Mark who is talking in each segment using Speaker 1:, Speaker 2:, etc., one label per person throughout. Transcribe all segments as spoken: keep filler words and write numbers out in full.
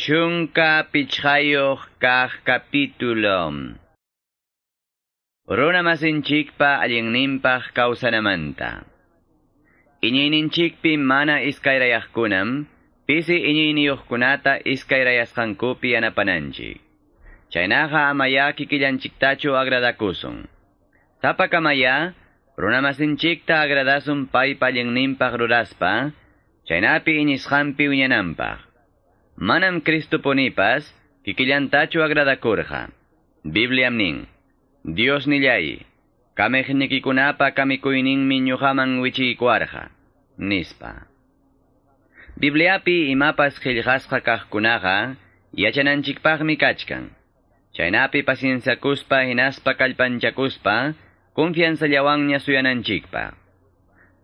Speaker 1: Chunka pichqayuq kaq capítulo. Runa masinchikpa allinninpaq kawsanamanta. Iñiyninchikpi mana iskayrayaqkunam, pisi iñiyniyuqkunata iskayrayasqankupi yanapananchik. Chaynaqa amaya kikillanchiktachu agradakusun. Sapakamaya, runa masinchikta agradasun paypa allinninpaq ruraspa, chaynapi iñisqanpi wiñananpaq. Manam Cristopunipas kikillantachu agradakurqa. Bibliam nin, Dios nillay, kamejnikikunapa kamikuyninmi ñuqaman wichiykuarqa, nispa. Bibliapi imapas qillqasqa kaqkunaqa yachananchikpaqmi kachkan. Chaynapi pacienciakuspa hinaspa kallpanchakuspa confianzallawanña suyananchikpaq.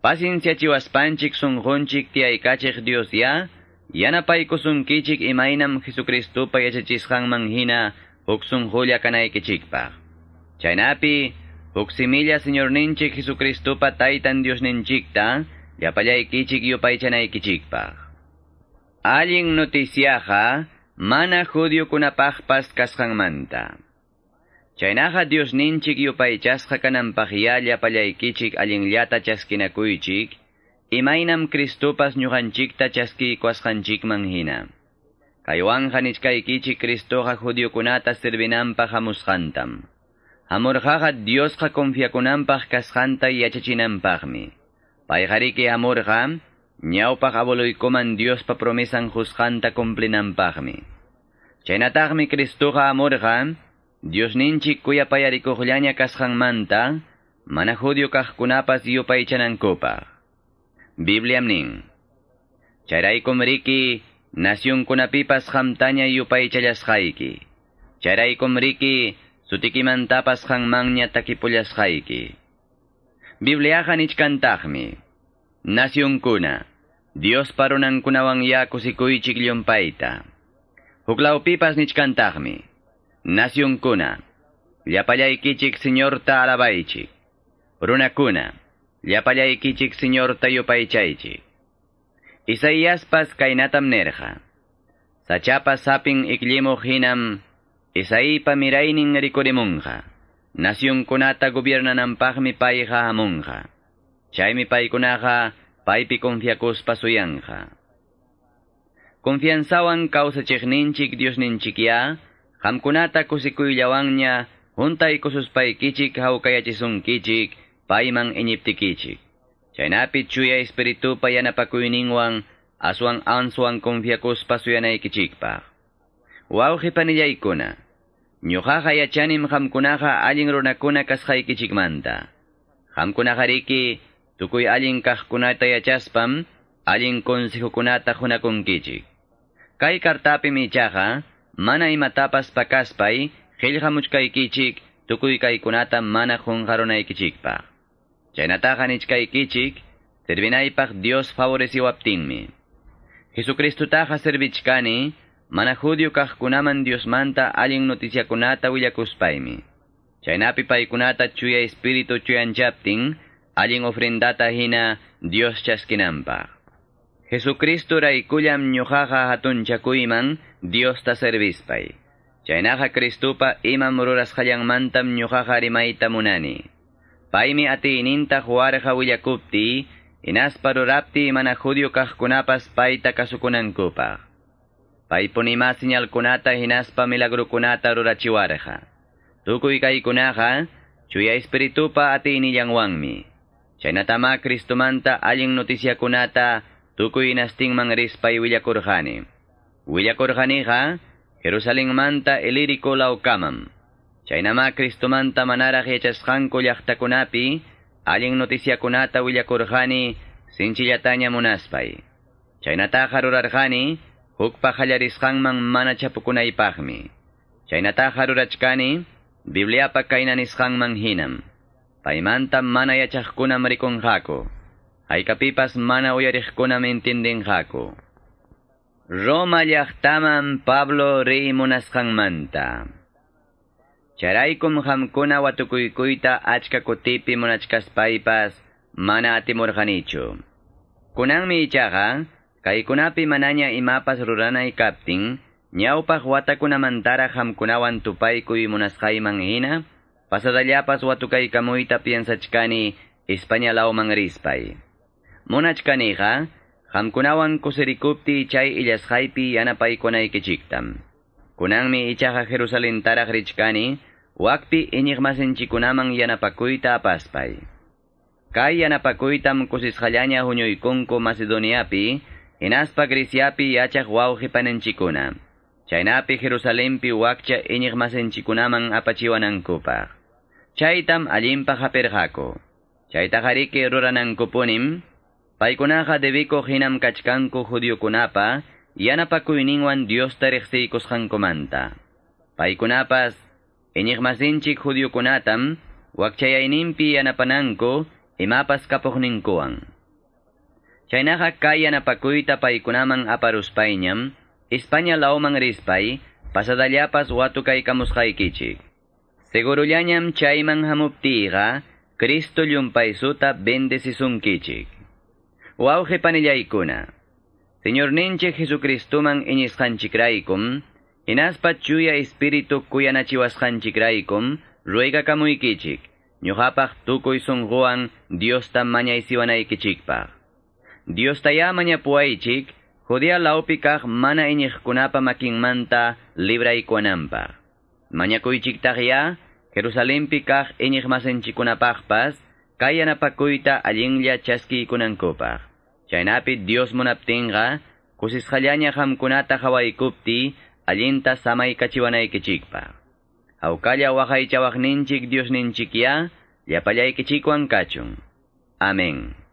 Speaker 1: Pacienciachiwaspanchik sunqunchik tiyaykachiq Dios ya, yanapaykusunkichik imaynam Jesucristopa yachachisqanman hina huk sunqulla kanaykichikpaq. Chaynapi huk similla Señorninchik Jesucristopa taytan Diosninchikta llapallaykichik yupaychanaykichikpaq. Allin noticiaqa mana judiokunapaqpas kasqanmanta. Chaynaqa Diosninchik yupaychasqa kananpaqya llapallaykichik allinllata chaskinakuychik, imaynam Cristopas ñuqanchikta chaskiykuwasqanchikman hina. Kaywanqa nichkaykichik Cristoqa judiokunata servinanpaq hamusqantam. Hamurqaqa Diosqa confiakunanpaq kasqanta yachachinanpaqmi. Payqariki hamurqa ñawpaq abueluykuman Diospa promesan qusqanta cumplinanpaqmi. Chaynataqmi Cristoqa hamurqa Diosninchik kuyapayarikuqllaña kasqanmanta mana judio kaqkunapas yupaychanankupaq. Bibliam nin, chayraykum riki nacionkunapipas qamtaña yupaychallasqayki. Chayraykum riki sutikimantapas qanmanña takipullasqayki. Bibliaqa nichkantaqmi, nacionkuna, Diospa runankunawan ya kusikuychik llumpayta. Huklawpipas nichkantaqmi, nacionkuna, llapallaykichik Señorta alabaychik. Runakuna, llapallaykichik Señorta yupaychaychik. Isaíaspas kaynatam nerqa. Sachapa sapin ikllimuq hinam, Isaípa miraynin rikurimunqa. Nacionkunata gobiernananpaqmi payqa hamunqa. Chaymi paykunaqa paypi confiakuspa suyanqa. Confianzawan kawsachiqninchik Diosninchikya, qamkunata kusikuyllawanña huntaykususpaykichik hawkayachisunkichik, payman iñiptikichik. Chaynapi chuya espiritupa yanapakuyninwan aswan answan confiakuspa suyanaykichikpaq. Wawqi panillaykuna, ñuqaqa yachanim qamkunaqa allin runakuna kasqaykichikmanta. Qamkunaqariki tukuy allin kaqkunata yachaspam allin consejokunata qunakunkichik. Kay kartapim ichaqa mana imatapas pakaspay qillqamuchkaykichik tukuy kaykunata mana qunqarunaykichikpaq. Chaynataqa nichkaykichik, servinaypaq Dios favoreciwaptinmi. Jesucristutaqa servichkani, mana judio kaqkunaman Diosmanta allin noticiakunata willakuspaymi. Chaynapi paykunata chuya espíritu chuyanchaptin, allin ofrendata hina Dios chaskinanpaq. Jesucristo raykullam ñuqaqa hatunchakuyman Diosta servispay. Chaynaqa Cristopa imam rurasqallanmantam ñuqaqa rimayta munani. Paymi atiyninta huwarqa willakupti, hinaspa rurapti mana judio kaqkunapas payta kasukunankupaq. Paypunima señalkunata hinaspa milagrukunata rurachiwarqa. Tukuy kaykunaqa chuya espiritupa atiynillanwanmi. Chaynatama Cristomanta allin noticiakunata tukuy hinastinman rispay willakurqani. Willakurqaniqa Jerusalenmanta Ilírico lawkamam. Chaynama Cristomanta manaraq yachasqanku llaqtakunapi allin noticiakunata willakurqani sinchillataña munaspay. Chaynataqa rurarqani hukpa qallarisqanman mana chapukunaypaqmi. Chaynataqa rurachkani Bibliapa kayna nisqanman hinam. Paymanta mana yachaqkunam rikunqaku. Haykapipas mana uyariqkunam entendinqaku. Roma llaqtaman Pablo riy munasqanmanta. Chayraykum qamkuna watukuykuyta achka kutipi munachkaspaypas manaatimurqanichu. Kunanmi ichaqa, kaykunapi manaña imapas ruranay kaptin, Ñawpaq watakunamantaraq qamkunawan tupaykuy munasqayman hina, pasadallapas watukaykamuyta piensachkani España lawman rispay. Munachkaniqa, qamkunawan kusirikuptiy chay illasqaypi yanapaykunaykichiktam. Kunanmi ichaqa Jerusalentaraq richkani, wakpi iñiqmasinchikkunaman yanapakuyta apaspay. Kay yanapakuytam kusisqallaña huñuykunku Macedoniapi, hinaspa Greciapi yachaq wawqi paninchikkuna. Chaynapi Jerusalenpi wakcha iñiqmasinchikkunaman apachiwanankupaq. Chaytam allinpaq hapirqaku. Chaytaqariki ruranankupunim, paykunaqa debikuq hinam kachkanku judiokunapa, yanapakuyninwan Diosta riqsiykusqankumanta. Paykunapas, iñiqmasinchik judiokunatam, wakchayayninpi yanapananku, imapas kapuqninkuwan. Chaynaqa kay yanapakuyta paykunaman aparuspayñam, España lawman rispay, pasadallapas watukaykamusqaykichik. Segurullañam chayman hamuptiyqa, Cristo llumpaysuta bendecisunkichik. Wawqi panillaykuna, Señorninchik Jesucristuman iñisqanchikraykum, hinaspa chuya espíritu kuyanachiwasqanchikraykum, ruegakamuykichik, ñuqapaq tukuy sunquwan Diosta mañaysiwanaykichikpaq. Diostayá mañapuwaychik, Judea lawpi kaq mana iñiqkunapa makinmanta libraykuwananpaq. Mañakuychiktaqya, Jerusalenpi kaq iñiqmasinchikkunapaqpas, kay yanapakuyta allinlla chaskiykunankupaq. Chaynapi Dios munaptinqa, kusisqallaña qamkunata qawaykuptiy, allinta samaykachiwanaykichikpaq. Hawkalla waqaychawaqninchik Diosninchikyá, llapallaykichikwan kachun. Amén.